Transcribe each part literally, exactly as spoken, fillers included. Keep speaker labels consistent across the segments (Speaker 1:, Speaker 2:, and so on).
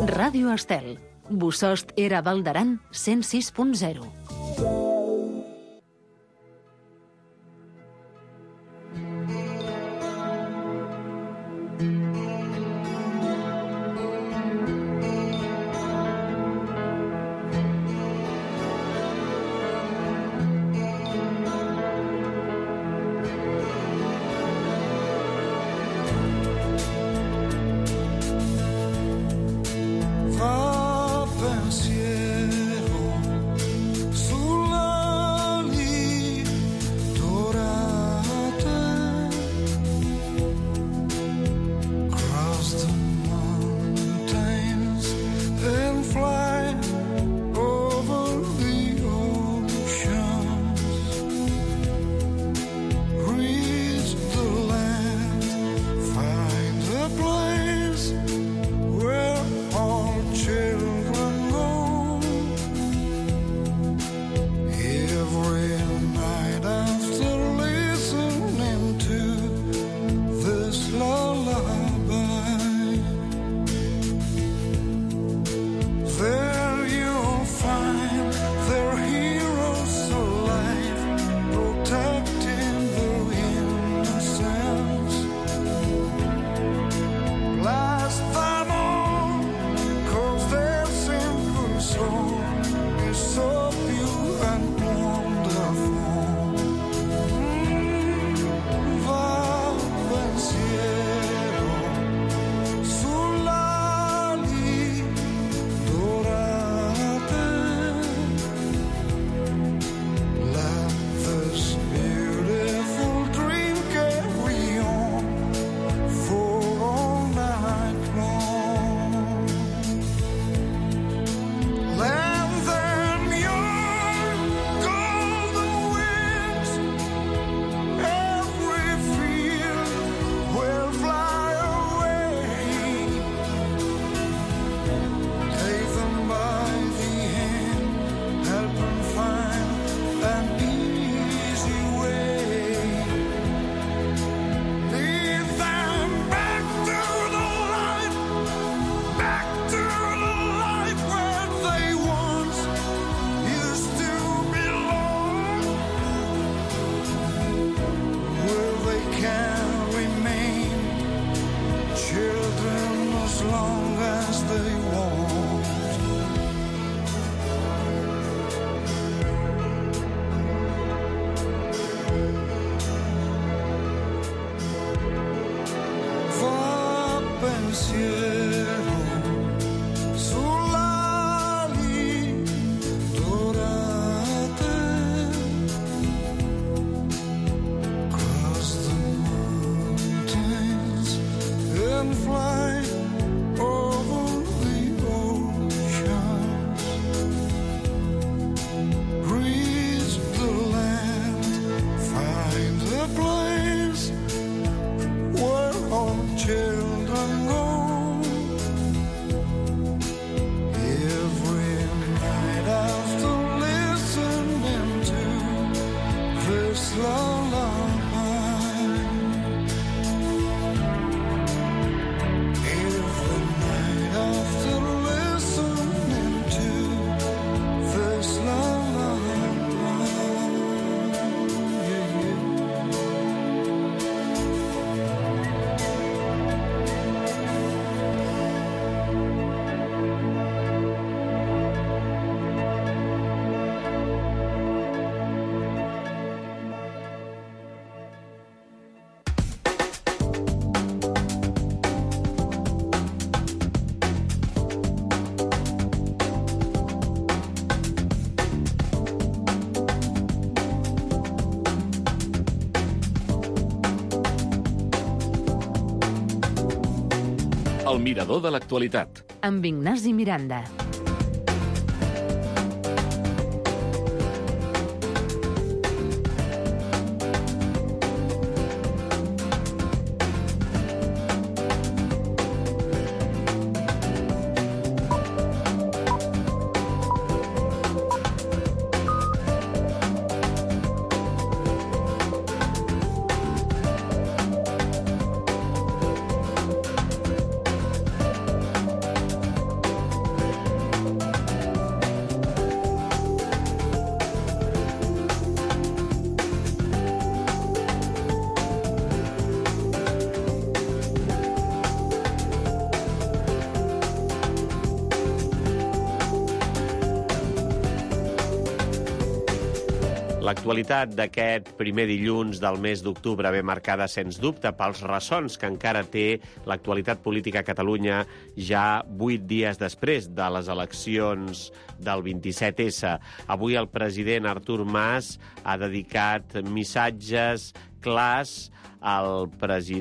Speaker 1: Ràdio Estel. Bossòst era Val d'Aran, cent sis punt zero.
Speaker 2: El mirador de l'actualitat.
Speaker 1: Amb Ignasi Miranda.
Speaker 3: L'actualitat d'aquest primer dilluns del mes d'octubre ve marcada, sens dubte, pels ressons que encara té l'actualitat política a Catalunya ja vuit dies després de les eleccions del vint-i-set essa. Avui el president Artur Mas ha dedicat missatges clars al,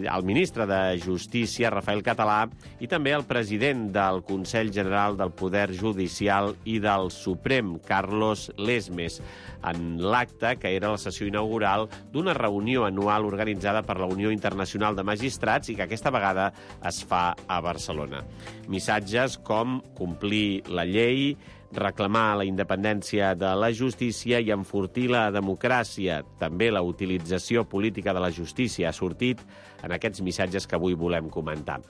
Speaker 3: al ministre de Justícia, Rafael Català, i també al president del Consell General del Poder Judicial i del Suprem, Carlos Lesmes, en l'acte que era la sessió inaugural d'una reunió anual organitzada per la Unió Internacional de Magistrats i que aquesta vegada es fa a Barcelona. Missatges com complir la llei, reclamar la independència de la justícia i enfortir la democràcia. També la utilització política de la justícia ha sortit en aquests missatges que avui volem comentar.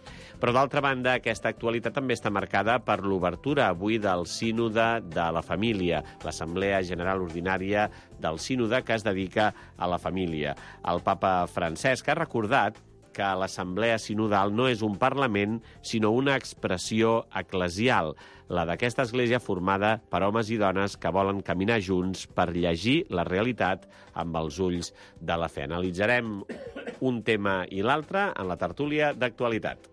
Speaker 3: Però, d'altra banda, aquesta actualitat també està marcada per l'obertura avui del Sínode de la Família, l'Assemblea General Ordinària del Sínode que es dedica a la família. El papa Francesc ha recordat que l'Assemblea Sinodal no és un Parlament, sinó una expressió eclesial, la d'aquesta església formada per homes i dones que volen caminar junts per llegir la realitat amb els ulls de la fe. Analitzarem un tema i l'altre en la tertúlia d'actualitat.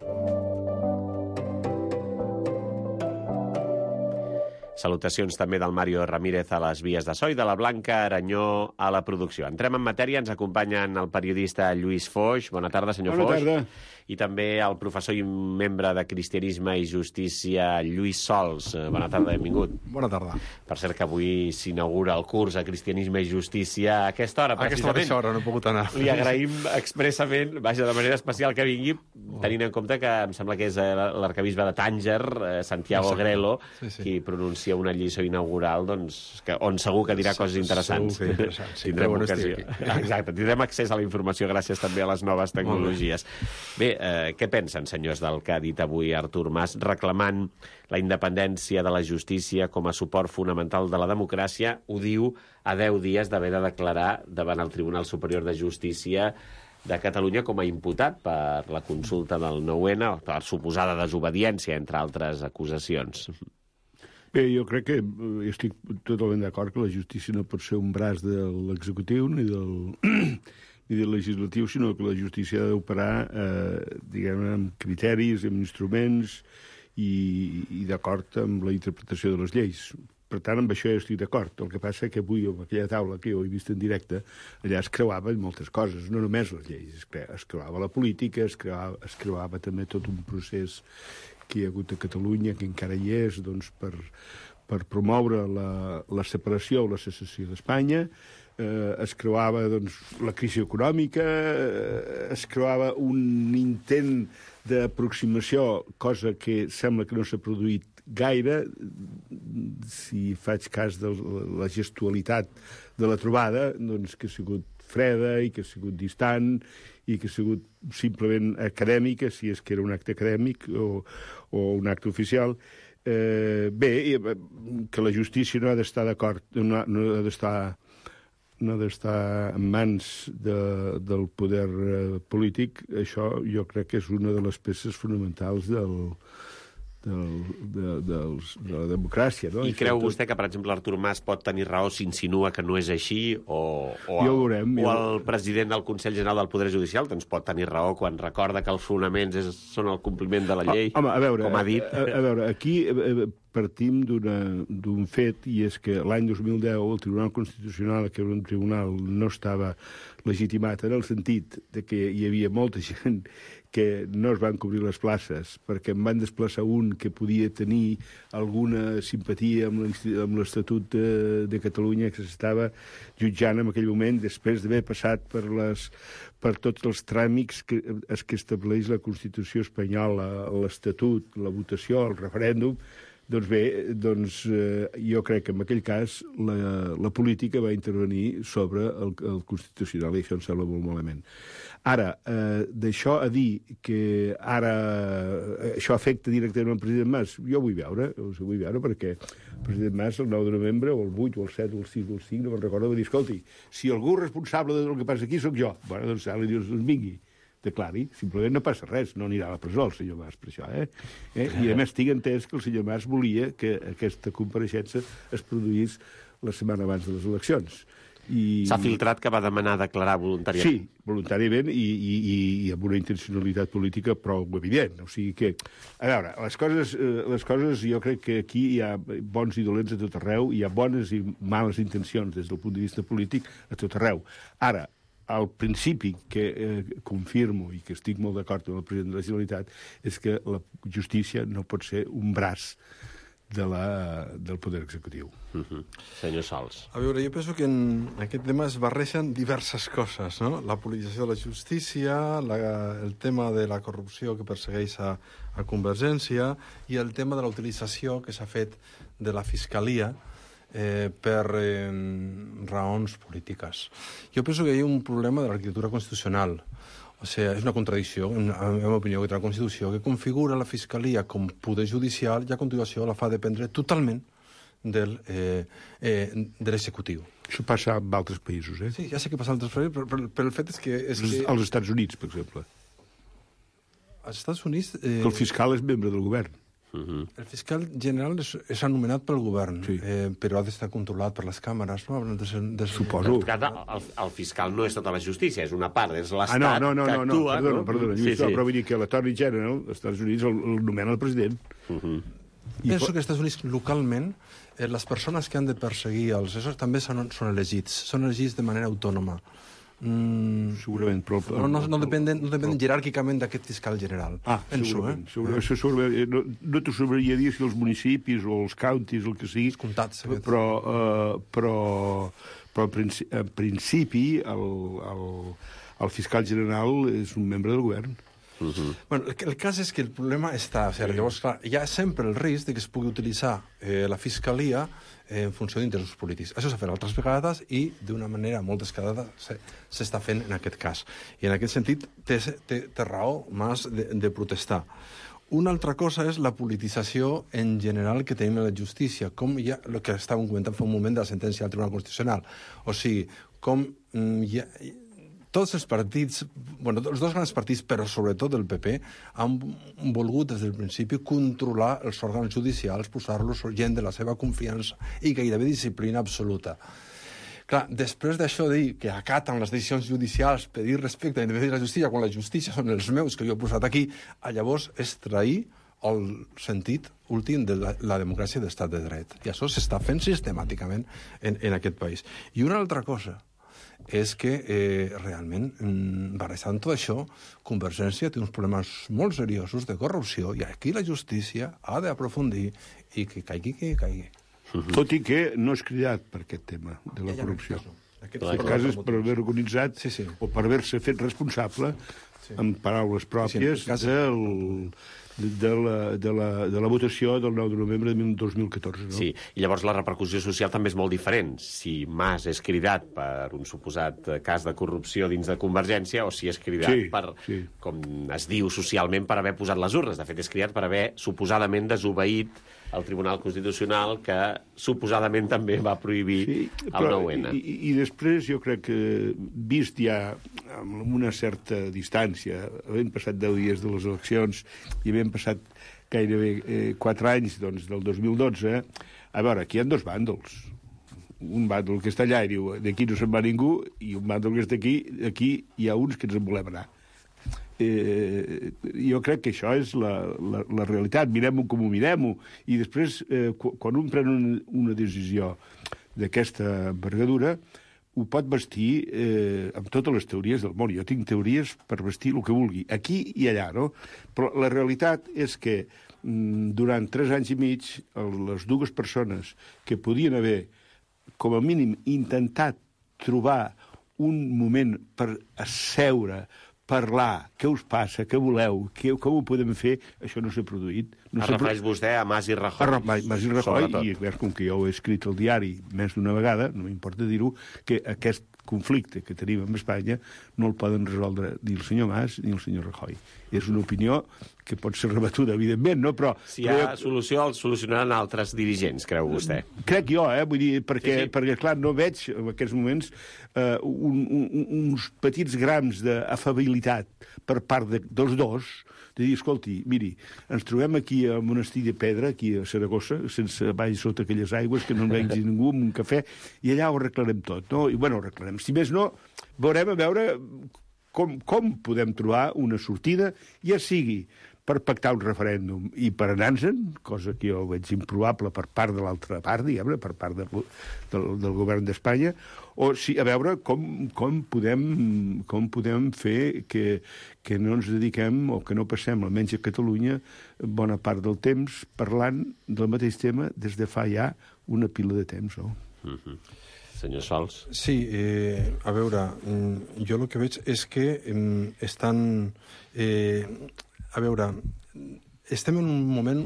Speaker 3: Salutacions també del Mario Ramírez a les vies de so i de la Blanca Aranyó a la producció. Entrem en matèria, ens acompanyen el periodista Lluís Foix. Bona tarda, senyor
Speaker 4: Bona
Speaker 3: Foix.
Speaker 4: tarda.
Speaker 3: I també el professor i membre de Cristianisme i Justícia, Lluís Sols. Bona tarda, benvingut.
Speaker 4: Bona tarda.
Speaker 3: Per cert que avui s'inaugura el curs a Cristianisme i Justícia a aquesta hora,
Speaker 4: A aquesta
Speaker 3: precisament.
Speaker 4: mateixa hora no he pogut anar.
Speaker 3: Li agraïm expressament, vaja, de manera especial que vingui, tenint en compte que em sembla que és l'arcabisbe de Tànger, Santiago
Speaker 4: Exacte.
Speaker 3: Grelo,
Speaker 4: Sí, sí.
Speaker 3: qui pronuncia una lliçó inaugural, doncs, que, on segur que dirà coses interessants.
Speaker 4: Segur que interessant, sí.
Speaker 3: Tindrem
Speaker 4: Però bueno,
Speaker 3: ocasió.
Speaker 4: estic aquí.
Speaker 3: Exacte, tindrem accés a la informació gràcies també a les noves tecnologies. Bé, eh, què pensen, senyors, del que ha dit avui Artur Mas, reclamant la independència de la justícia com a suport fonamental de la democràcia? Ho diu a deu dies d'haver de declarar davant el Tribunal Superior de Justícia de Catalunya com a imputat per la consulta del nou ena, per suposada desobediència, entre altres acusacions.
Speaker 5: Bé, jo crec que eh, estic totalment d'acord que la justícia no pot ser un braç de l'executiu ni del, ni del legislatiu, sinó que la justícia ha d'operar eh, diguem-ne, amb criteris, amb instruments i, i d'acord amb la interpretació de les lleis. Per tant, amb això ja estic d'acord. El que passa és que avui, amb aquella taula que jo he vist en directe, allà es creuaven moltes coses, no només les lleis. Es, cre es creuava la política, es creuava, es creuava també tot un procés que hi ha hagut a Catalunya, que encara hi és, doncs, per, per promoure la, la separació o la secessió d'Espanya. Eh, es creuava doncs, la crisi econòmica, eh, es creuava un intent d'aproximació, cosa que sembla que no s'ha produït gaire, si faig cas de la gestualitat de la trobada, doncs que ha sigut freda i que ha sigut distant i que ha sigut simplement acadèmica, si és que era un acte acadèmic o, o un acte oficial. Eh, bé, que la justícia no ha d'estar d'acord, no, no ha d'estar no ha d'estar en mans de, del poder eh, polític, això jo crec que és una de les peces fonamentals del, del, de, dels, de la democràcia. No?
Speaker 3: I
Speaker 5: I
Speaker 3: creu
Speaker 5: tot...
Speaker 3: vostè que, per exemple, Artur Mas pot tenir raó si insinua que no és així? O, o,
Speaker 5: Ja ho veurem,
Speaker 3: o
Speaker 5: ja
Speaker 3: el president del Consell General del Poder Judicial doncs pot tenir raó quan recorda que els fonaments és, són el compliment de la llei,
Speaker 5: Home, a veure,
Speaker 3: com ha dit?
Speaker 5: A, a veure, aquí eh, partim d'un fet, i és que l'any dos mil deu el Tribunal Constitucional, que era un tribunal, no estava legitimat en el sentit de que hi havia molta gent que no es van cobrir les places perquè en van desplaçar un que podia tenir alguna simpatia amb l'Estatut de, de Catalunya que s'estava jutjant en aquell moment després d'haver passat per, les, per tots els tràmits que, es que estableix la Constitució espanyola, l'Estatut, la votació, el referèndum. Doncs bé, doncs, eh, jo crec que en aquell cas la, la política va intervenir sobre el, el Constitucional i això em sembla molt malament. Ara, eh, d'això a dir que ara eh, això afecta directament el president Mas, jo vull veure, ho vull veure perquè el president Mas el nou de novembre, o el vuit, o el set, o el sis, o el cinc, no me'n recordo, va dir, escolti, si algú responsable del que passa aquí sóc jo, bueno, doncs ara li dius, doncs vingui. Declari, simplement no passa res, no anirà a la presó el senyor Mas per això, eh? eh? I a més tinc entès que el senyor Mas volia que aquesta compareixença es produís la setmana abans de les eleccions. I...
Speaker 3: S'ha filtrat que va demanar declarar voluntàriament.
Speaker 5: Sí, voluntàriament i, i, i, i amb una intencionalitat política prou evident. O sigui que, a veure, les coses, eh, les coses jo crec que aquí hi ha bons i dolents a tot arreu, hi ha bones i males intencions des del punt de vista polític a tot arreu. Ara, el principi que eh, confirmo i que estic molt d'acord amb el president de la Generalitat és que la justícia no pot ser un braç de la, del poder executiu.
Speaker 3: Uh-huh. Senyor Sols.
Speaker 4: A veure, jo penso que en aquest tema es barregen diverses coses, no? La politització de la justícia, la, el tema de la corrupció que persegueix a, a Convergència i el tema de la utilització que s'ha fet de la Fiscalia eh, per eh, raons polítiques. Jo penso que hi ha un problema de l'arquitectura constitucional. O sigui, és una contradicció, en la meva opinió, que té la Constitució, que configura la Fiscalia com poder judicial i a continuació la fa dependre totalment del, eh, eh, de l'executiu.
Speaker 5: Això passa en altres països, eh?
Speaker 4: Sí, ja sé que passa en altres països, però, però, però el fet és que... És que...
Speaker 5: Als Estats Units, per exemple.
Speaker 4: Als Estats Units... Eh...
Speaker 5: Que el fiscal és membre del govern.
Speaker 3: Uh-huh.
Speaker 4: El fiscal general és, és anomenat pel govern,
Speaker 5: sí.
Speaker 4: eh, però ha d'estar controlat per les càmeres, no? De ser, de ser...
Speaker 5: Suposo.
Speaker 3: El, el, el fiscal no és tota la justícia, és una part, és l'Estat
Speaker 5: ah, no, no, no,
Speaker 3: que
Speaker 5: no,
Speaker 3: actua...
Speaker 5: No, perdona,
Speaker 3: no?
Speaker 5: perdona,
Speaker 3: Sí,
Speaker 5: sí, sí. Però vull dir que l'Attorney General dels Estats Units el, el nomena el president.
Speaker 3: Uh-huh.
Speaker 4: I penso que als Estats Units, localment, eh, les persones que han de perseguir els assessors també són, són elegits, són elegits de manera autònoma. Mm,
Speaker 5: segurament, però...
Speaker 4: No, no, no dependen, no dependen jeràrquicament d'aquest fiscal general.
Speaker 5: Ah,
Speaker 4: penso,
Speaker 5: segurament.
Speaker 4: Eh?
Speaker 5: segurament, això segurament no, no t'ho sabria dir si els municipis o els counties, el que sigui,
Speaker 4: Comtats,
Speaker 5: però, uh, però, però en principi, en principi el, el, el fiscal general és un membre del govern.
Speaker 3: Uh-huh.
Speaker 4: Bueno, el, el cas és que el problema està... O sigui, llavors, clar, hi ha sempre el risc de que es pugui utilitzar eh, la fiscalia eh, en funció d'interessos polítics. Això s'ha fet altres vegades i d'una manera molt descarada s'està fent en aquest cas. I en aquest sentit té, té, té raó Mas de, de protestar. Una altra cosa és la politització en general que tenim en la justícia, com ja el que estàvem comentant fa un moment de la sentència del Tribunal Constitucional. O sigui, com ja, tots els partits, bueno, els dos grans partits, però sobretot el P P, han volgut des del principi controlar els òrgans judicials, posar-los gent de la seva confiança i gairebé disciplina absoluta. Clar, després d'això dir que acaten les decisions judicials, pedir respecte a l'independència de la justícia, quan la justícia són els meus que jo he posat aquí, llavors és trair el sentit últim de la, la democràcia d'estat de dret. I això s'està fent sistemàticament en, en aquest país. I una altra cosa és que eh, realment, barrejant tot això, Convergència té uns problemes molt seriosos de corrupció i aquí la justícia ha d'aprofundir i que caigui, que caigui.
Speaker 5: Uh-huh. Tot i que no és cridat per aquest tema de la ja, ja corrupció. No,
Speaker 4: aquest
Speaker 5: el cas és per haver organitzat
Speaker 4: sí, sí.
Speaker 5: o per haver-se fet responsable sí. amb paraules pròpies sí, sí, del... De la, de, la, de la votació del nou de novembre de dos mil catorze. No?
Speaker 3: Sí, i llavors la repercussió social també és molt diferent. Si Mas és cridat per un suposat cas de corrupció dins de Convergència o si és cridat
Speaker 5: sí,
Speaker 3: per,
Speaker 5: sí.
Speaker 3: com es diu socialment, per haver posat les urnes. De fet, és cridat per haver suposadament desobeït el Tribunal Constitucional que suposadament també va prohibir sí, el nou ene.
Speaker 5: I, I després jo crec que, vist ja amb una certa distància, havent passat deu dies de les eleccions i havent passat gairebé eh, quatre anys doncs, del dos mil dotze, a veure, aquí hi ha dos bàndols. Un bàndol que està allà i diu d'aquí no se'n va ningú, i un bàndol que està aquí, aquí hi ha uns que ens en volem anar. Eh, jo crec que això és la, la, la realitat. Mirem-ho com ho mirem-ho. I després, eh, quan un pren una, una decisió d'aquesta envergadura, ho pot vestir eh, amb totes les teories del món. Jo tinc teories per vestir el que vulgui, aquí i allà, no? Però la realitat és que mm, durant tres anys i mig, les dues persones que podien haver, com a mínim, intentat trobar un moment per asseure, parlar, què us passa, què voleu, què, com ho podem fer, això no s'ha produït. No
Speaker 3: es refereix pro... vostè a Mas i Rajoy.
Speaker 5: A Mas i Rajoy, i com que jo ho he escrit al diari més d'una vegada, no m'importa dir-ho, que aquest conflicte que tenim amb Espanya no el poden resoldre ni el senyor Mas ni el senyor Rajoy. És una opinió que pot ser rebatuda, evidentment, no? Però...
Speaker 3: Si hi ha solució, el solucionaran altres dirigents, creu vostè?
Speaker 5: Crec jo, eh? Vull dir, perquè,
Speaker 3: sí, sí.
Speaker 5: perquè clar, no veig en aquests moments eh, un, un, uns petits grams d'afabilitat per part de, dels dos, de dir, escolti, miri, ens trobem aquí al monestir de Pedra, aquí a Saragossa, sense baix sota aquelles aigües, que no en vegi ningú, amb un cafè, i allà ho arreglarem tot, no? I, bueno, ho arreglarem. Si més no, veurem a veure com, com podem trobar una sortida, ja sigui per pactar un referèndum i per anar-se'n, cosa que jo veig improbable per part de l'altra part, diguem-ne, per part de, del, del govern d'Espanya, o si, a veure com, com, podem, com podem fer que, que no ens dediquem, o que no passem, almenys a Catalunya, bona part del temps parlant del mateix tema des de fa ja una pila de temps, no?
Speaker 3: Mm-hmm. Senyor Sols.
Speaker 4: Sí, eh, a veure, jo el que veig és que eh, estan... Eh, a veure, estem en un moment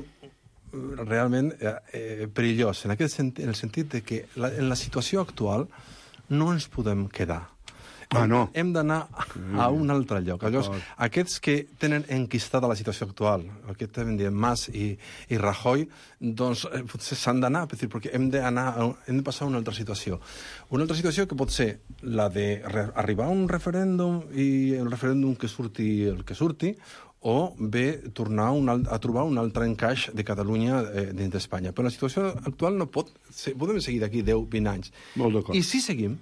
Speaker 4: realment eh, perillós, en, aquest sentit, en el sentit de que la, en la situació actual no ens podem quedar.
Speaker 5: Ah, no.
Speaker 4: Hem d'anar a un altre lloc. Llavors, aquests que tenen enquistada la situació actual, el que estem dient Mas i, i Rajoy, doncs eh, potser s'han d'anar, perquè hem d'anar, hem de passar a una altra situació. Una altra situació que pot ser la d'arribar a un referèndum i el referèndum que surti el que surti, o bé tornar un, a trobar un altre encaix de Catalunya eh, dins d'Espanya. Però la situació actual no pot... Ser, podem seguir d'aquí deu a vint anys.
Speaker 5: Molt d'acord.
Speaker 4: I si seguim,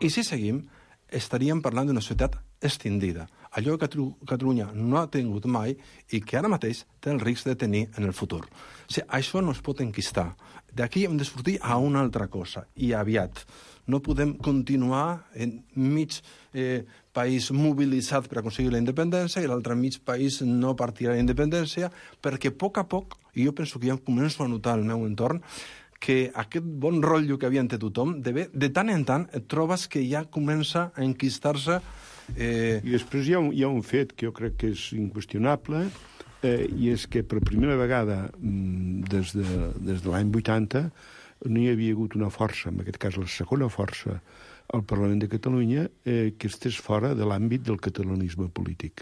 Speaker 4: i si seguim, estaríem parlant d'una societat extendida. Allò que Catalunya no ha tingut mai i que ara mateix té el risc de tenir en el futur. O sigui, això no es pot enquistar. D'aquí hem de sortir a una altra cosa, i aviat. No podem continuar en mig eh, país mobilitzat per aconseguir la independència i l'altre mig país no partirà la independència, perquè a poc a poc, i jo penso que ja començo a notar al meu entorn, que aquest bon rotllo que havia entre tothom, de, bé, de tant en tant et trobes que ja comença a enquistar-se... Eh...
Speaker 5: I després hi ha, un, hi ha un fet que jo crec que és inqüestionable, eh, i és que per primera vegada des de, des de l'any vuitanta no hi havia hagut una força, en aquest cas la segona força, al Parlament de Catalunya, eh, que estés fora de l'àmbit del catalanisme polític.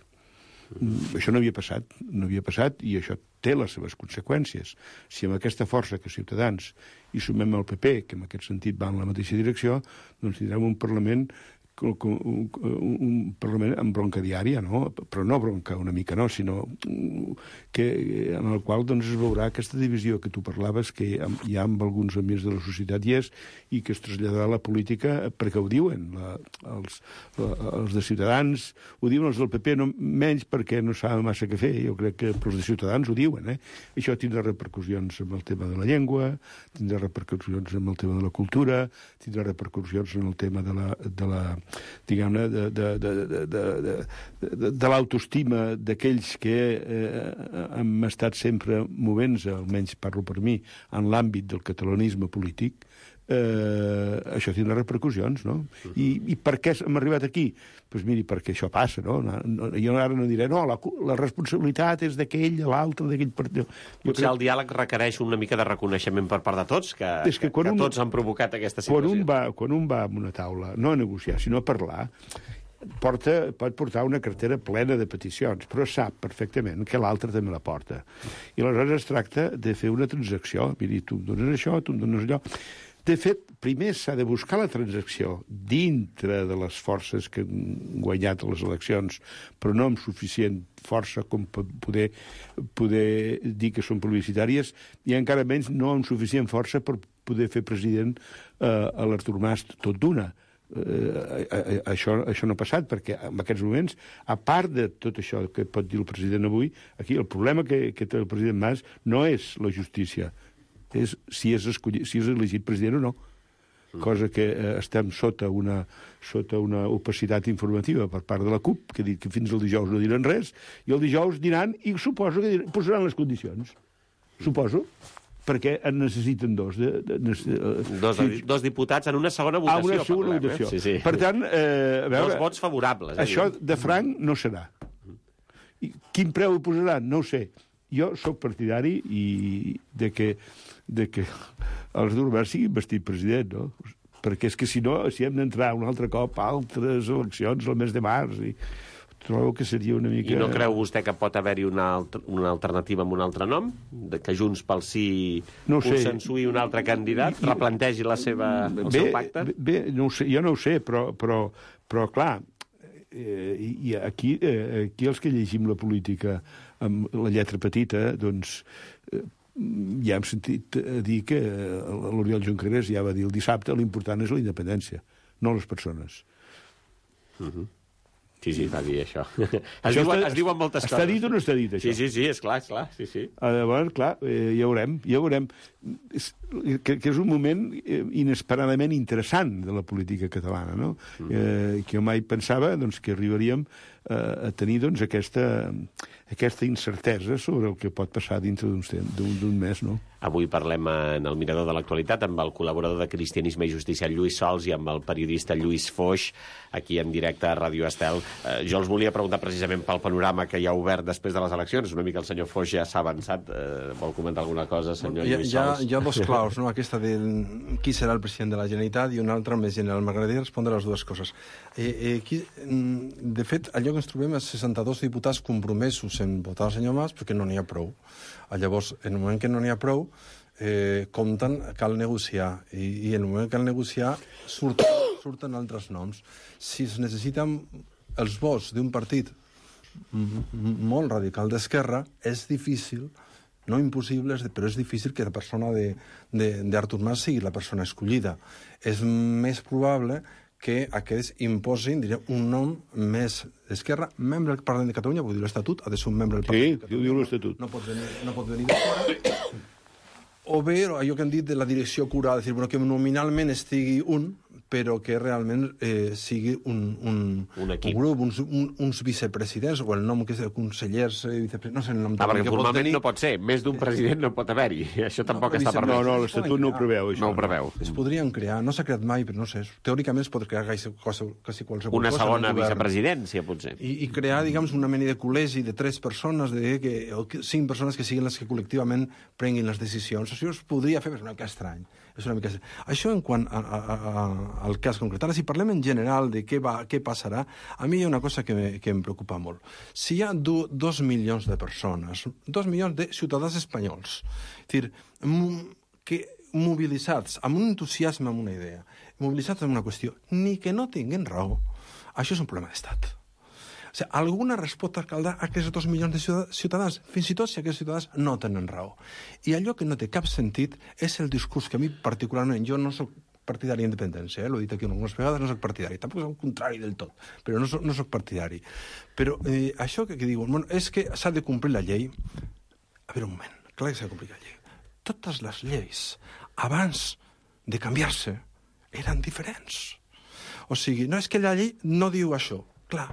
Speaker 5: Mm, això no havia passat, no havia passat, i això té les seves conseqüències. Si amb aquesta força que Ciutadans hi sumem el P P, que en aquest sentit va en la mateixa direcció, doncs tindrem un Parlament un, un, un Parlament amb bronca diària, no? Però no bronca una mica, no, sinó que, en el qual doncs, es veurà aquesta divisió que tu parlaves, que hi ha amb alguns amics de la societat i és, i que es traslladarà a la política perquè ho diuen, la, els, la, els de Ciutadans, ho diuen els del P P, no, menys perquè no saben massa què fer, jo crec que els de Ciutadans ho diuen, eh? Això tindrà repercussions amb el tema de la llengua, tindrà repercussions amb el tema de la cultura, tindrà repercussions en el tema de la, de la diguem-ne, de, de, de, de, de, de, de, de l'autoestima d'aquells que eh, hem estat sempre movent-se, almenys parlo per mi, en l'àmbit del catalanisme polític, eh, això tindrà repercussions, no? I, i per què hem arribat aquí? Doncs pues miri, perquè això passa, no? no jo ara no diré, no, la, la responsabilitat és d'aquell, de l'altre, d'aquell partit.
Speaker 3: Potser crec... el diàleg requereix una mica de reconeixement per part de tots, que, és que, que, que un, tots han provocat aquesta situació.
Speaker 5: Quan un, va, quan un va a una taula, no a negociar, sinó a parlar, porta, pot portar una cartera plena de peticions, però sap perfectament que l'altre també la porta. I aleshores es tracta de fer una transacció. Miri, tu em dones això, tu em dones allò. De fet, primer s'ha de buscar la transacció dintre de les forces que han guanyat les eleccions, però no amb suficient força com poder, poder dir que són plebiscitàries, i encara menys no amb suficient força per poder fer president eh, a l'Artur Mas tot d'una. Eh, això, això no ha passat, perquè en aquests moments, a part de tot això que pot dir el president avui, aquí el problema que, que té el president Mas no és la justícia, és si és, escollit, si és elegit president o no. Cosa que eh, estem sota una, sota una opacitat informativa per part de la CUP, que ha dit que fins al dijous no diran res, i el dijous diran, i suposo que diran, posaran les condicions. Suposo. Perquè en necessiten dos. De, de, de, de,
Speaker 3: dos,
Speaker 5: si,
Speaker 3: dos diputats en una segona votació.
Speaker 5: Ah, una segona
Speaker 3: parlem,
Speaker 5: votació.
Speaker 3: Eh? Sí, sí.
Speaker 5: Per tant, eh, a veure...
Speaker 3: Dos vots favorables. Eh?
Speaker 5: Això de franc no serà. I quin preu hi posaran? No ho sé. Jo sóc partidari i de que, de que els d'Urber siguin vestit president, no? Perquè és que si no, si hem d'entrar un altre cop a altres eleccions el mes de març i trobo que seria una mica...
Speaker 3: I no creu vostè que pot haver-hi una, altra, una alternativa amb un altre nom? De que Junts pel Sí
Speaker 5: no
Speaker 3: consensuï un altre candidat? I, replantegi la seva, el
Speaker 5: bé,
Speaker 3: seu pacte?
Speaker 5: Bé, no ho sé, jo no ho sé, però, però, però clar, eh, i aquí, eh, aquí els que llegim la política amb la lletra petita, doncs... Eh, ja hem sentit dir que l'Oriol Junqueras ja va dir el dissabte l'important és la independència, no les persones.
Speaker 3: Uh-huh. Sí, sí, va dir això. Es,
Speaker 5: això
Speaker 3: diuen,
Speaker 5: està,
Speaker 3: es diuen moltes
Speaker 5: està
Speaker 3: coses.
Speaker 5: Està dit o no està dit, això?
Speaker 3: Sí, sí, sí, és clar, és clar. Sí, sí.
Speaker 5: Llavors, clar, eh, ja veurem, ja veurem. És, que, que és un moment inesperadament interessant de la política catalana, no? Mm. Eh, que jo mai pensava doncs, que arribaríem eh, a tenir doncs, aquesta, aquesta incertesa sobre el que pot passar dintre d'un mes, no?
Speaker 3: Avui parlem en el Mirador de l'Actualitat amb el col·laborador de Cristianisme i Justícia, Lluís Sols, i amb el periodista Lluís Foix, aquí en directe a Ràdio Estel. Eh, jo els volia preguntar precisament pel panorama que hi ha obert després de les eleccions. Una mica el senyor Foix ja s'ha avançat. Eh, vol comentar alguna cosa, senyor
Speaker 4: hi ha,
Speaker 3: Lluís Sols?
Speaker 4: Hi ha dos claus, no? Aquesta de qui serà el president de la Generalitat i una altra més general. M'agradaria respondre a les dues coses. Eh, eh, qui, de fet, allò que ens trobem és seixanta-dos diputats compromesos en votar el senyor Mas perquè no n'hi ha prou. Llavors, en el moment que no n'hi ha prou, eh, compten, cal negociar. I, i en el moment que cal negociar, surten, surten altres noms. Si es necessiten els vots d'un partit molt radical d'esquerra, és difícil, no impossible, però és difícil que la persona d'Artur Mas sigui la persona escollida. És més probable que aquests imposin, diré, un nom més d'esquerra, membre del Parlament de Catalunya, vull dir l'Estatut, ha de ser un membre del Parlament
Speaker 5: de Catalunya. Sí, diu l'Estatut.
Speaker 4: No pot venir, no pot venir de fora. O bé, allò que hem dit de la direcció curada, és dir, bueno, que nominalment estigui un, però que realment eh, sigui un, un,
Speaker 3: un,
Speaker 4: un grup, uns, un, uns vicepresidents, o el nom que és de consellers, eh, vicepresidents, no sé el nom
Speaker 3: ah, perquè
Speaker 4: que
Speaker 3: formalment
Speaker 4: pot tenir.
Speaker 3: no pot ser, més d'un president no pot haver-hi, això tampoc no, està permès.
Speaker 5: No, no, l'Estatut no ho preveu, això.
Speaker 3: No ho preveu.
Speaker 4: Es podrien crear, no s'ha creat mai, però no sé, teòricament es pot crear quasi, quasi qualsevol
Speaker 3: una
Speaker 4: cosa.
Speaker 3: Una segona vicepresidència, potser.
Speaker 4: I, I crear, diguem, una mena de col·legi de tres persones, de que, o cinc persones que siguin les que col·lectivament prenguin les decisions. Això es podria fer, però és una mica estrany. És una mica... Això en quant a, a, a, al cas concret. Ara, si parlem en general de què, va, què passarà, a mi hi ha una cosa que, me, que em preocupa molt. Si hi ha do, dos milions de persones, dos milions de ciutadans espanyols, és dir, que mobilitzats, amb un entusiasme, amb una idea, mobilitzats en una qüestió, ni que no tinguin raó, això és un problema d'estat. O sigui, alguna resposta caldrà a aquests dos milions de ciutadans, fins i tot si aquests ciutadans no tenen raó. I allò que no té cap sentit és el discurs que a mi particularment, jo no soc partidari d'independència, eh? L'he dit aquí algunes vegades, no soc partidari, tampoc és el contrari del tot, però no soc, no soc partidari. Però eh, això que, que diuen, bueno, és que s'ha de complir la llei. A veure un moment, clar que s'ha de complir la llei. Totes les lleis, abans de canviar-se, eren diferents. O sigui, no és que la llei no diu això. Clar,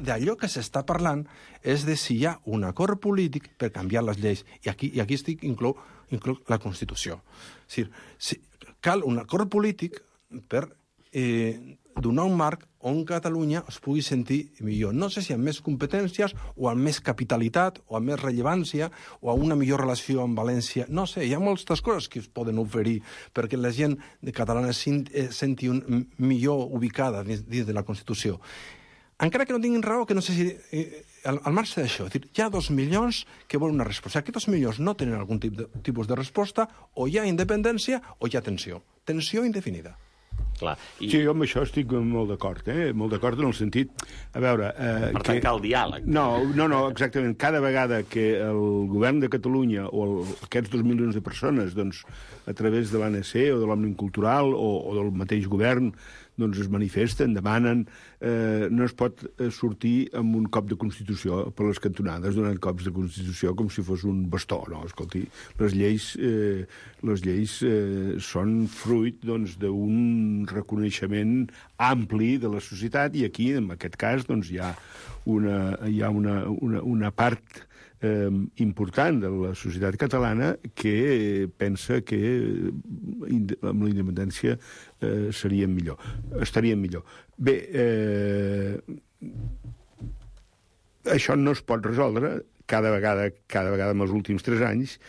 Speaker 4: d'allò que s'està parlant és de si hi ha un acord polític per canviar les lleis. I aquí, i aquí estic inclou, inclou la Constitució. És dir, si, cal un acord polític per eh, donar un marc on Catalunya es pugui sentir millor. No sé si amb més competències o amb més capitalitat o amb més rellevància o amb una millor relació amb València. No sé, hi ha moltes coses que es poden oferir perquè la gent catalana es senti un, millor ubicada dins, dins de la Constitució. Encara que no tinguin raó, que no sé si... Eh, al, al marge d'això, hi ha dos milions que volen una resposta. Aquests dos milions no tenen algun tip de, tipus de resposta, o hi ha independència o hi ha tensió. Tensió indefinida.
Speaker 3: Clar. I...
Speaker 5: Sí, jo amb això estic molt d'acord, eh? Molt d'acord en el sentit... A veure... Eh,
Speaker 3: per tant,
Speaker 5: que...
Speaker 3: cal diàleg.
Speaker 5: No, no, no, exactament. Cada vegada que el govern de Catalunya o el, aquests dos milions de persones, doncs, a través de l'A N C o de l'Òmnium Cultural o, o del mateix govern, doncs es manifesten, demanen, eh, no es pot sortir amb un cop de Constitució per les cantonades, donant cops de Constitució com si fos un bastó, no? Escolti, les lleis, eh, les lleis eh, són fruit, doncs, d'un reconeixement ampli de la societat i aquí, en aquest cas, doncs, hi ha una, hi ha una, una, una part eh, important de la societat catalana que pensa que amb la independència eh, seríem millor, estaríem millor. Bé, eh, això no es pot resoldre cada vegada, cada vegada en els últims tres anys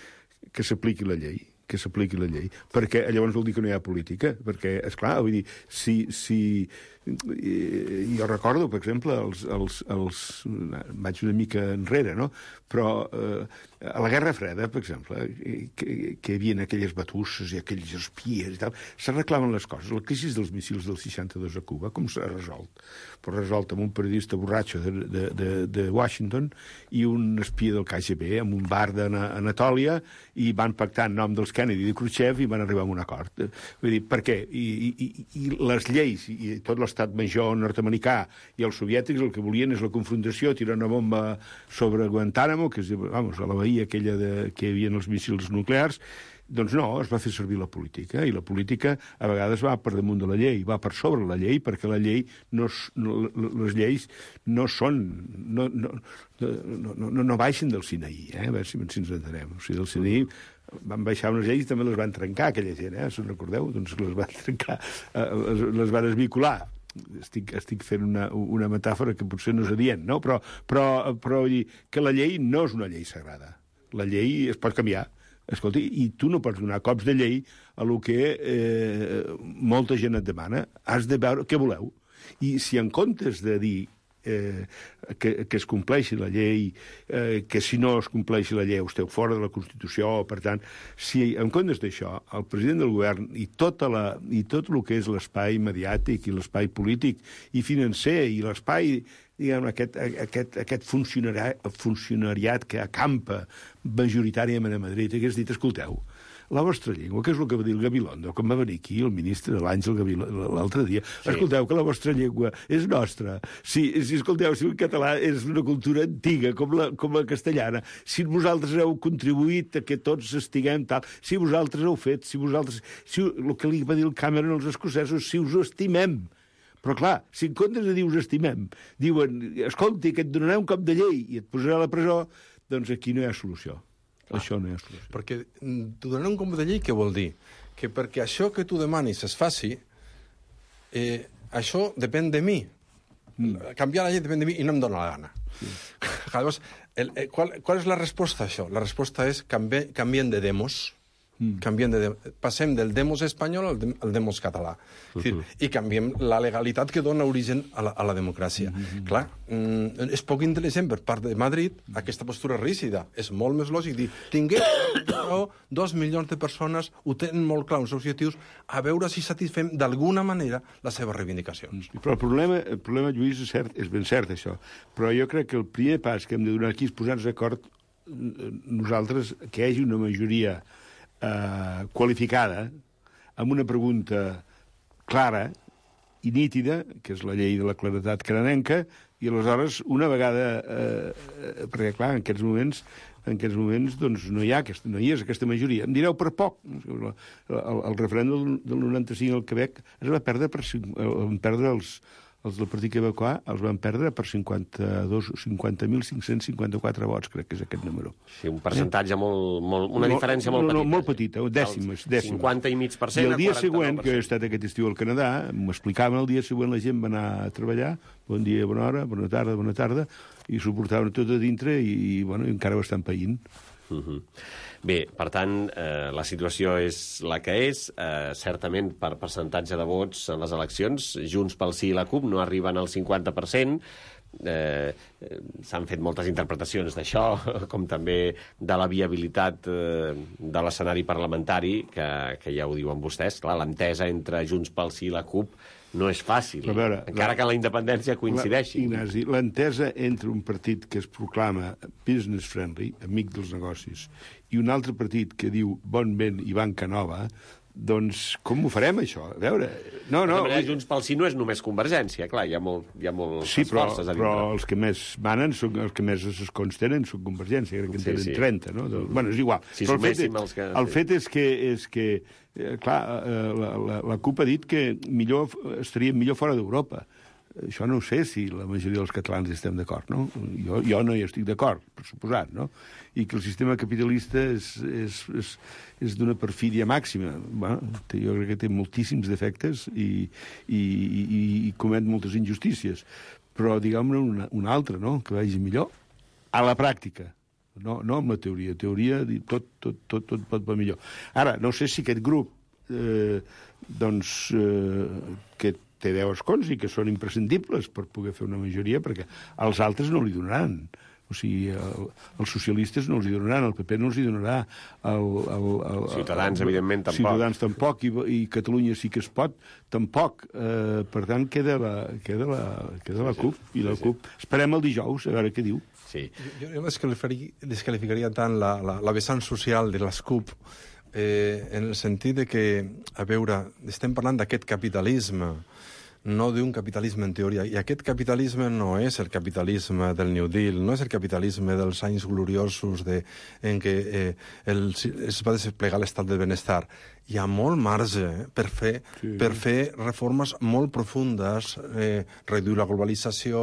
Speaker 5: que s'apliqui la llei que s'apliqui la llei, perquè llavors vol dir que no hi ha política, perquè, esclar, vull dir, si, si, I, jo recordo, per exemple, els, els, els, vaig una mica enrere, no? Però eh, a la Guerra Freda, per exemple, que, que hi havia aquelles batusses i aquells espies i tal, s'arreglaven les coses. La crisi dels missils del seixanta-dos a Cuba, com s'ha resolt? Però resolt amb un periodista borratxo de, de, de, de Washington i un espia del K G B en un bar d'Anatòlia, i van pactar en nom dels Kennedy i de Khrushchev i van arribar a un acord. Vull dir, per què? I, i, i les lleis i tot l'estat major nord-americà i els soviètics el que volien és la confrontació, tirar una bomba sobre Guantánamo, que és, vamos, a la bahia aquella de, que hi havia els míssils nuclears. Doncs no, es va fer servir la política, i la política a vegades va per damunt de la llei, va per sobre la llei, perquè la llei no, no, les lleis no són, no, no, no, no, no baixen del Sinaí, eh? A veure si ens entenem. O sigui, del Sinaí van baixar unes lleis i també les van trencar, aquella gent, eh? Si us recordeu? Doncs les van trencar, les, les van esmicolar. Estic, estic fent una, una metàfora que potser no és adient, no? Però, però, però vull dir que la llei no és una llei sagrada. La llei es pot canviar. Escolta, i tu no pots donar cops de llei a lo que eh, molta gent et demana. Has de veure què voleu. I si en comptes de dir eh, que, que es compleixi la llei, eh, que si no es compleixi la llei esteu fora de la Constitució, per tant, si en comptes d'això el president del govern i, tota la, i tot el que és l'espai mediàtic i l'espai polític i financer i l'espai, diguem, aquest, aquest, aquest funcionari, funcionariat que acampa majoritàriament a Madrid, hagués dit, escolteu, la vostra llengua, que és el que va dir el Gabilondo, com va venir aquí el ministre de l'Àngel Gabilondo l'altre dia, sí. Escolteu que la vostra llengua és nostra. Si, si escolteu, si el català és una cultura antiga, com la, com la castellana, si vosaltres heu contribuït a que tots estiguem tal, si vosaltres heu fet, si vosaltres... Si, el que li va dir el Cameron als escocesos, si us estimem. Però, clar, si en comptes de dir us estimem, diuen, escolti, que et donaré un cop de llei i et posarà a la presó, doncs aquí no hi ha solució. Ah, això no hi ha solució.
Speaker 4: Perquè t'ho donaré un cop de llei, què vol dir? Que perquè això que tu demanis es faci, eh, això depèn de mi. Mm. Canviar la llei depèn de mi i no em dóna la gana. Sí. Llavors, el, el, qual, qual és la resposta a això? La resposta és canvi, canvien de demos. Mm. Canviem de, passem del demos espanyol al, de, al demos català. Uh -huh. I canviem la legalitat que dona origen a la, a la democràcia. Uh -huh. Clar, mm, és poc intel·ligent per part de Madrid aquesta postura rígida. És molt més lògic dir, tinguem dos milions de persones, ho tenen molt clar els objectius, a veure si satisfem d'alguna manera les seves reivindicacions.
Speaker 5: Però el problema, el problema, Lluís, és, cert, és ben cert, això. Però jo crec que el primer pas que hem de donar aquí és posar-nos d'acord nosaltres, que hi hagi una majoria Uh, qualificada amb una pregunta clara i nítida, que és la llei de la claredat canadenca, i aleshores, una vegada... Uh, perquè, clar, en aquests moments en aquests moments doncs, no, hi ha aquesta, no hi és aquesta majoria. Em direu per poc. El, el, el referèndum del noranta-cinc al Quebec es va perdre per van perdre els, els del Partit Quebecois els van perdre per cinquanta mil cinc-cents cinquanta-quatre vots, crec que és aquest número.
Speaker 3: Sí, un percentatge eh? molt, molt... Una
Speaker 5: no,
Speaker 3: diferència molt
Speaker 5: no,
Speaker 3: petita.
Speaker 5: No, molt petita, dècimes, dècimes.
Speaker 3: cinquanta i mig per cent
Speaker 5: I el dia següent, que he
Speaker 3: estat
Speaker 5: estat aquest estiu al Canadà, m'explicaven el dia següent la gent va anar a treballar, bon dia, bona hora, bona tarda, bona tarda, i s'ho portaven tot a dintre i, i bueno, encara ho estan païnt.
Speaker 3: Uh -huh. Bé, per tant, eh, la situació és la que és. Eh, certament, per percentatge de vots en les eleccions, Junts pel Sí i la CUP no arriben al cinquanta per cent. Eh, s'han fet moltes interpretacions d'això, com també de la viabilitat eh, de l'escenari parlamentari, que, que ja ho diuen vostès. Clar, l'entesa entre Junts pel Sí i la CUP no és fàcil, veure, encara la, que la independència coincideixi.
Speaker 5: La, Ignasi, l'entesa entre un partit que es proclama business friendly, amic dels negocis, i un altre partit que diu bon vent i banca nova, doncs com ho farem, això? A veure... No, no,
Speaker 3: de manera, Junts pel Sí no és només Convergència, clar, hi ha, molt, hi ha moltes
Speaker 5: sí, però,
Speaker 3: forces a dintre.
Speaker 5: Però els que més manen, són, els que més escons tenen, són Convergència, crec que en
Speaker 3: sí,
Speaker 5: tenen
Speaker 3: sí.
Speaker 5: trenta, no? De, bueno, és igual.
Speaker 3: Si
Speaker 5: però el fet, és,
Speaker 3: els que...
Speaker 5: el fet és que, és que eh, clar, eh, la, la, la CUP ha dit que millor, estaríem millor fora d'Europa. Això no ho sé si la majoria dels catalans hi estem d'acord, no? Jo, jo no hi estic d'acord, per suposat, no? I que el sistema capitalista és, és, és, és d'una perfídia màxima. Bueno, jo crec que té moltíssims defectes i, i, i, i comet moltes injustícies. Però, diguem-ne, una, una altra, no?, que vagi millor a la pràctica. No, no amb la teoria. Teoria, tot, tot, tot, tot pot va millor. Ara, no sé si aquest grup, eh, doncs, eh, que té deu escons i que són imprescindibles per poder fer una majoria, perquè els altres no li donaran. O sigui, el, els socialistes no els hi donaran, el P P no els hi donarà, el, el, el,
Speaker 3: Ciutadans,
Speaker 5: el,
Speaker 3: evidentment, tampoc.
Speaker 5: Ciutadans tampoc, i, i Catalunya sí que es pot, tampoc. Eh, per tant, queda la, queda la, queda la CUP, i la CUP. Esperem el dijous, a veure què diu.
Speaker 3: Sí.
Speaker 4: Jo, jo descalificaria, descalificaria tant la, la, la vessant social de les CUP, eh, en el sentit de que, a veure, estem parlant d'aquest capitalisme, no d'un capitalisme en teoria. I aquest capitalisme no és el capitalisme del New Deal, no és el capitalisme dels anys gloriosos de, en què eh, el, es va desplegar l'estat del benestar. Hi ha molt marge eh, per, fer, sí. per fer reformes molt profundes, eh, reduir la globalització,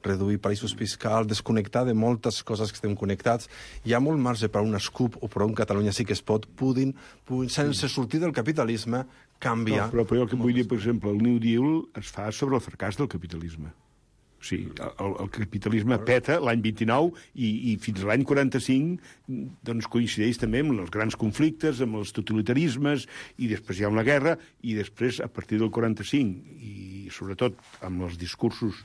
Speaker 4: reduir països fiscals, desconnectar de moltes coses que estem connectats. Hi ha molt marge per a un SCUP o per a un Catalunya sí que es pot, puguin, puguin sense sortir del capitalisme, canviar.
Speaker 5: No, però, però el que vull dir, per exemple, el New Deal es fa sobre el fracàs del capitalisme. O sigui, el, el capitalisme peta l'any vint-i-nou i, i fins a l'any quaranta-cinc doncs, coincideix també amb els grans conflictes, amb els totalitarismes, i després hi ha una guerra, i després, a partir del quaranta-cinc, i sobretot amb els discursos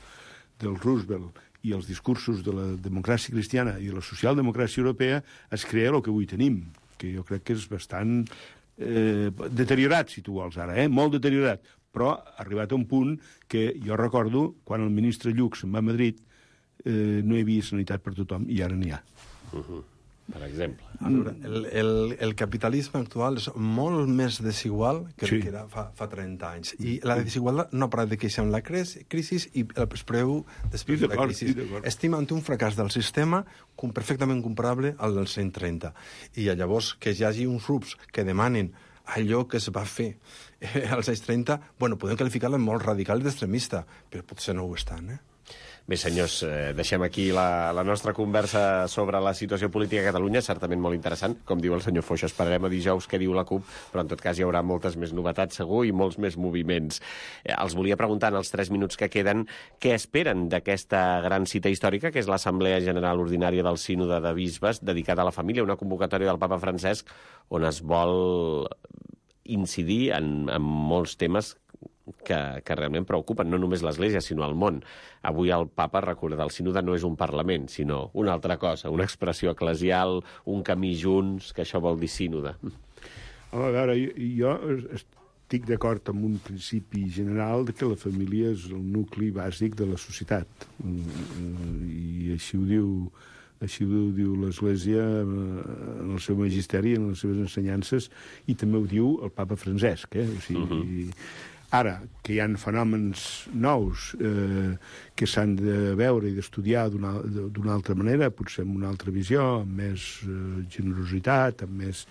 Speaker 5: del Roosevelt i els discursos de la democràcia cristiana i de la socialdemocràcia europea, es crea el que avui tenim, que jo crec que és bastant eh, deteriorat, si tu vols ara, eh? molt deteriorat, però ha arribat a un punt que jo recordo quan el ministre Lluc se'n va a Madrid eh, no hi havia sanitat per tothom i ara n'hi ha.
Speaker 3: Uh-huh. Per exemple.
Speaker 4: Veure, el, el, el capitalisme actual és molt més desigual que el
Speaker 5: Sí.
Speaker 4: que era fa, fa trenta anys. I la desigualtat no ha parat de créixer amb la crisi, crisi i el preu després
Speaker 5: Sí,
Speaker 4: de la crisi.
Speaker 5: sí, d'acord.
Speaker 4: Estem ante un fracàs del sistema com perfectament comparable al dels anys trenta. I llavors que hi hagi uns grups que demanen allò que es va fer eh, als anys trenta, bueno, podem qualificar-la molt radical i d'extremista, però potser no ho estan, eh?
Speaker 3: Bé, senyors, eh, deixem aquí la, la nostra conversa sobre la situació política a Catalunya, certament molt interessant. Com diu el senyor Foix, esperarem a dijous què diu la CUP, però en tot cas hi haurà moltes més novetats, segur, i molts més moviments. Eh, els volia preguntar en els tres minuts que queden què esperen d'aquesta gran cita històrica, que és l'Assemblea General Ordinària del Sínode de Bisbes, dedicada a la família, una convocatòria del papa Francesc, on es vol incidir en, en molts temes que, que realment preocupen no només l'Església, sinó el món. Avui el papa, recorda, el sínode no és un parlament, sinó una altra cosa, una expressió eclesial, un camí junts, que això vol dir sínode.
Speaker 5: Home, a veure, jo, jo estic d'acord amb un principi general de que la família és el nucli bàsic de la societat. I així ho diu, així ho diu l'Església en el seu magisteri, en les seves ensenyances, i també ho diu el papa Francesc. Eh? O sigui, uh-huh. Ara, que hi ha fenòmens nous eh, que s'han de veure i d'estudiar d'una, d'una altra manera, potser amb una altra visió, amb més eh, generositat, amb més...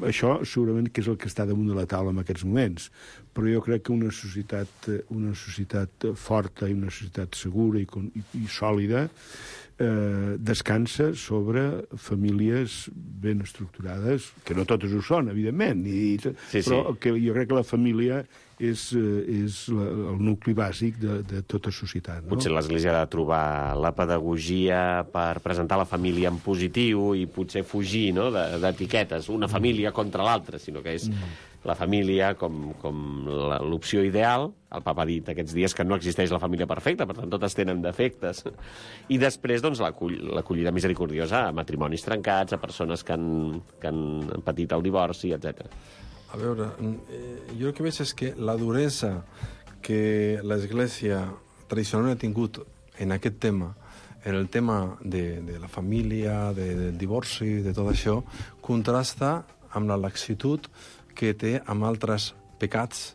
Speaker 5: Això segurament que és el que està damunt de la taula en aquests moments. Però jo crec que una societat, una societat forta i una societat segura i, i, i sòlida eh, descansa sobre famílies ben estructurades, que no totes ho són, evidentment, i,
Speaker 3: sí,
Speaker 5: però
Speaker 3: sí.
Speaker 5: que jo crec que la família és, és la, el nucli bàsic de, de tota societat. No?
Speaker 3: Potser l'Església ha de trobar la pedagogia per presentar la família en positiu i potser fugir, no?, d'etiquetes, una família contra l'altra, sinó que és mm. la família com, com l'opció ideal. El papa ha dit aquests dies que no existeix la família perfecta, per tant, totes tenen defectes. I després, doncs, l'acollida misericordiosa a matrimonis trencats, a persones que han, que han patit el divorci, etcètera.
Speaker 4: A veure, eh, jo el que veig és que la duresa que l'Església tradicionalment ha tingut en aquest tema, en el tema de, de la família, de, del divorci, de tot això, contrasta amb la laxitud que té amb altres pecats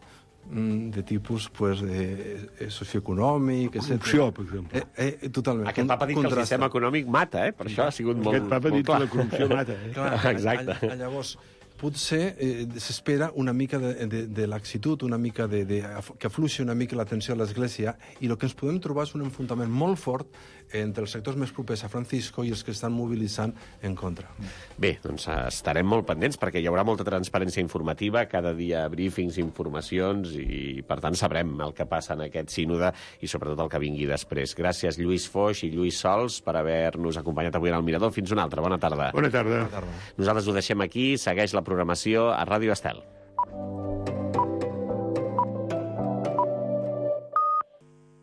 Speaker 4: de tipus pues, eh, socioeconòmic, etcètera.
Speaker 5: Corrupció, per exemple.
Speaker 4: Eh, eh, totalment.
Speaker 3: Aquest papa ha dit contrasta. Que el sistema econòmic mata, eh? Per això ha sigut molt,
Speaker 5: Aquest papa ha dit
Speaker 3: clar.
Speaker 5: Que la corrupció mata, eh?
Speaker 4: Clar,
Speaker 3: exacte.
Speaker 4: A, a, llavors, potser eh, s'espera una mica de, de, de laxitud, una mica de, de, que afluixi una mica l'atenció a l'Església, i el que ens podem trobar és un enfrontament molt fort entre els sectors més propers a Francisco i els que estan mobilitzant en contra.
Speaker 3: Bé, doncs estarem molt pendents perquè hi haurà molta transparència informativa, cada dia briefings, informacions, i per tant sabrem el que passa en aquest sínode i sobretot el que vingui després. Gràcies Lluís Foix i Lluís Sols per haver-nos acompanyat avui en el Mirador. Fins una altra. Bona tarda.
Speaker 5: Bona tarda.
Speaker 4: Bona tarda.
Speaker 3: Nosaltres ho deixem aquí. Segueix la programació a Ràdio Estel.